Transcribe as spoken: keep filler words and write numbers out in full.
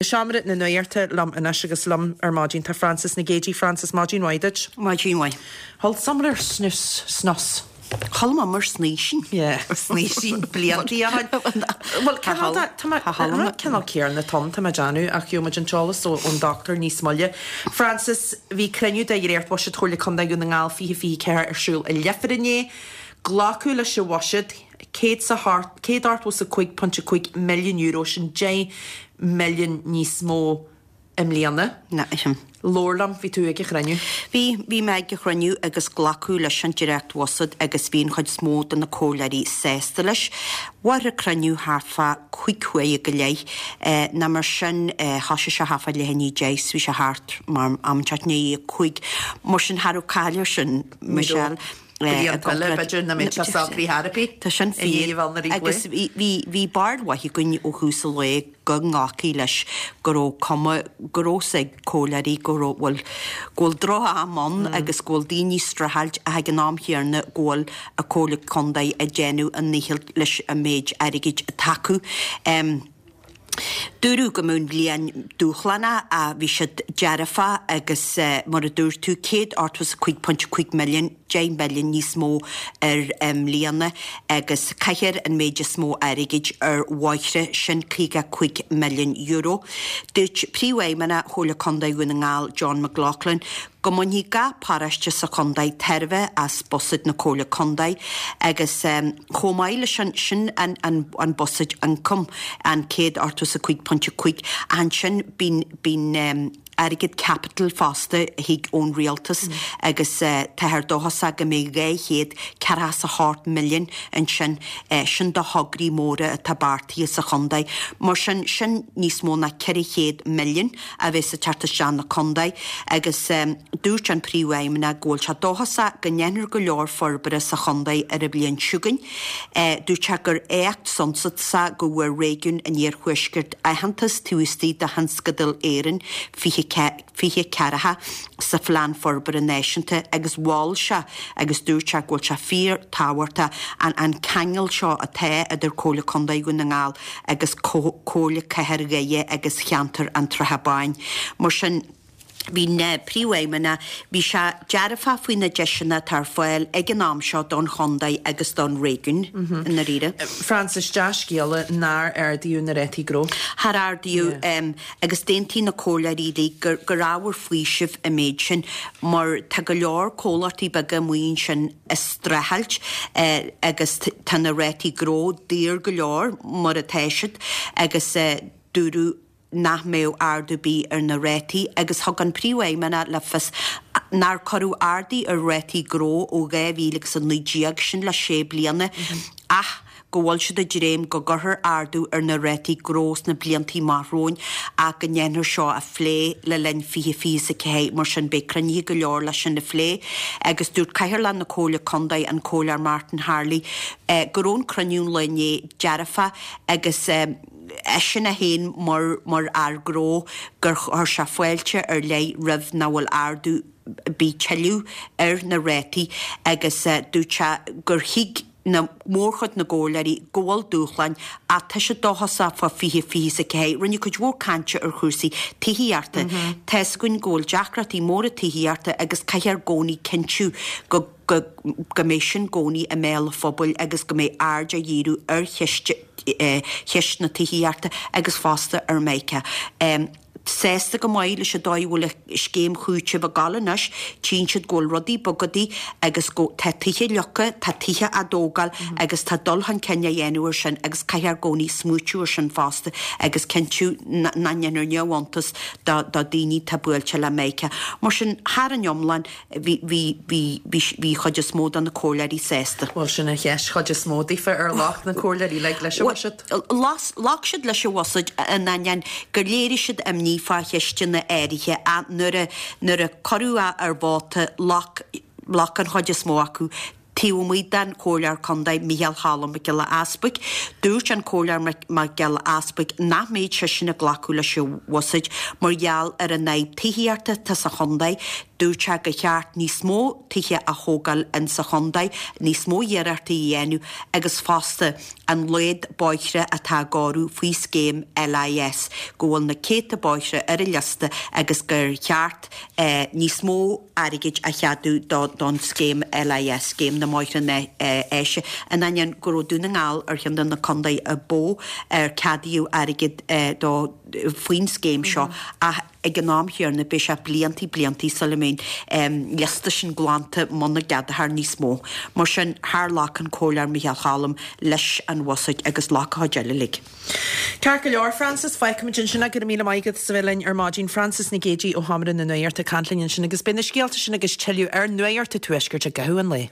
Seomra na Nuachta liom anois agus liom ar maidin tá Frances Nic Géadaigh. Frances, maidin mhaith duit. Maidin mhaith. Chodlaigh Summer ar snus snos. Chodlaigh mé mar snaoisín. Yeah, snaoisín bliantaí a Well cineál cineál céanna tom tá mé ag déanamh ach gheobhaidh muid an t-eolas ón dochtúir níos moille. Frances, bhí cruinniú de dhréacht-bhuiséad Chomhairle Contae Dhún na nGall fiche fiche ceathair ar siúl i Leifear inné. Glacadh leis an bhuiséad céad céad ochtó is a cúig pointe cúig milliún euro, sin deich milliún níos mó i mbliana. Na, sin. Labhair liom, bhí tú ag an chruinniú. Bhí, bhí mé ag an chruinniú agus glacadh leis an dréacht-bhuiséad agus bhí an chuid is mó de na comhairleoirí sásta leis. Mhair an cruinniú thart fá cúig huaire go leith. Ná mar sin, thosaigh sé thart fá leath i ndiaidh a deich is bhí sé thart mar am inteacht i ndiaidh a cúig. Mar sin, cha raibh caill air sin, Michelle. Blianta eile, b'fhéidir, nach mbeidh sé socraithe ar bith. Tá sin fíor. Agus bhí barúil mhaith againn ó thús an lae go nglacfaí leis go raibh cuma, go raibh fhios ag comhairleoirí go raibh, bhuel, go bhfuil droch-am ann agus go bhfuil daoine ag streachailt ach ag an am chéanna go bhfuil an Comhairle Contae ag déanamh a ndícheall leis an méid airgid atá acu. Dúradh go mbeadh an bhliain dúshlánach ach bhí siad dearfach agus mar a dúirt tú, céad ochtó is a cúig pointe cúig milliún, deich milliún níos mó ar i mbliana agus caithfear an méid is mó airgid ar bhóithre, sin caoga cúig milliún euro. Dúirt Príomhfheidhmeannach Chomhairle Contae Dhún na nGall, John McLaughlin, go mbainfidh gach paróiste sa chontae tairbhe as buiséad na Comhairle Contae agus chomh maith leis sin, sin an an buiséad ioncaim, an céad ochtó is a cúig pointe cúig, ach ansin bíonn bíonn airgead caipitil fosta a thig ón rialtas agus táthar dóchasach go mbeidh dhá chéad ceathracha is a hocht milliún ansin, sin do thograí móra atá beartaithe sa chontae. Mar sin, sin níos mó ná ceithre chéad milliún a bheas ag teacht isteach na contae agus dúirt an Príomhfheidhmeannach go bhfuil sé dóchasach go ndéanfar go leor forbartha sa chontae ar an bhliain seo chugainn. Dúirt sé gur éacht suntasach go bhfuair réigiún an Iarthuaiscirt aitheantas taobh istigh de Thionscadal Éireann fiche fiche ceathracha sa Phlean Forbartha Náisiúnta agus mhol sé agus dúirt sé go bhfuil sé fíor-tábhachtach an an ceangal seo atá idir Comhairle Contae Dhún na nGall agus Comhairle Cathair Dhoire agus cheantar an tSratha Báin. Mar sin, bhí na Príomhfheidhmeannach, bhí sé dearfach faoi na deiseanna atá ar fáil ag an am seo don chontae agus don réigiún i ndáiríre. Frances, dea-scéala nár ardaíodh na rátaí gnó. Char ardaíodh agus d'aontaigh na comhairleoirí uilig gur gur ábhar faoisimh an méid sin mar tá go leor comhlachtaí beaga amuigh ansin ag streachailt agus tá na rátaí gnó daor go leor mar atá siad agus dúradh nach mbeadh ardú ar bith ar na rátaí agus thug an Príomhfheidhmeannach le fios nár cuireadh ardú ar rátaí gnó ó dhá mhíle agus a naoi déag, sin le sé bliana, ach go bhfuil siad ag dréim go gcuirfear ardú ar na rátaí gnó sna blianta amach romhainn ach go ndéanfar seo a phlé le linn fiche fiche is a ceathair, mar sin beidh cruinnithe go leor leis sin a phlé. Agus dúirt Cathaoirleach na Comhairle Contae, an Comhairleoir Martin Harley, go raibh an cruinniú an lae inné dearfach agus eisean é féin mar mar fhear gnó gur chuir sé fáilte ar leith roimh nach bhfuil ardú ar bith tuilleadh ar na rátaí agus dúirt sé gur thuig na mórchuid na gcomhairleoirí go bhfuil dúshláin ach tá siad dóchasach fá fiche fiche is a ceathair. Rinneadh cuid mhór cainte ar chúrsaí tithíochta. Tá's againn go bhfuil deacrachtaí móra tithíochta agus caithfear i gcónaí cinntiú go go go mbeidh sin i gcónaí i mbéal an phobail agus go mbeidh aird á dhíriú ar cheist cheist na tithíochta agus fosta ar Micah. Sásta go maith leis an dóigh a bhfuil an scéim chúitimh ag dul anois, tchíonn siad go bhfuil rudaí ag bogadh agus go tá tithe leagtha, tá tithe á dtógáil agus tá dul chun cinn á dhéanamh ar sin agus caithfear i gcónaí smaoitiú ar sin fosta agus cinntiú nach ndéanfar neamhiontas do do daoine atá buailte le Micah. Mar sin, thar an iomlán, Bhí, bhí, bhí, bhí, bhí chuid is mó de na comhairleoirí sásta. Bhuel, sin an cheist, chuid is mó daofa, ar ghlac na comhairleoirí uilig leis an bhuiséad? Ghlac siad leis an bhuiséad in ainneoin gur léirigh siad imní fá cheisteanna áirithe ach nuair a, nuair a cuireadh é ar vóta, ghlac, ghlac an chuid is mó acu. Taobh amuigh den Chomhairleoir Contae Micheál Cholm Mac Giolla Easbuig, dúirt an Comhairleoir Mac Giolla Easbuig nach mbeadh seisean ag glacadh leis an bhuiséad mar gheall ar an fhadhb tithíochta atá sa chontae. Dúirt sé gur cheart níos mó tithe a thógáil insa chontae, níos mó iarrachtaí a dhéanamh agus fosta an laghad bóithre atá á gcóiriú faoi scéim LIS, go bhfuil na céadta bóithre ar an liosta agus gur cheart níos mó airgid a cheadú don scéim LIS, Scéim na mBóithre Áise, in ainneoin go raibh Dún na nGall ar cheann de na contaetha a ba mhó ar ceadaíodh airgead dó faoin scéim seo ach ag an am chéanna beidh sé bliantaí bliantaí sula mbeidh an liosta sin glanta muna gceadófar níos mó. Mar sin, char ghlac an Comhairleoir Micheál Cholm leis an bhuiséad agus ghlac an chuid eile uilig. Ceart go leor, Frances, fágfaimid ansin é. Go raibh míle maith agat as a bheith linn ar maidin. Frances Nic Géadaigh ó Sheomra na Nuachta ag caint linn ansin agus beidh na scéalta sin agus tuilleadh ar Nuacht an Tuaiscirt i gcaitheamh an lae.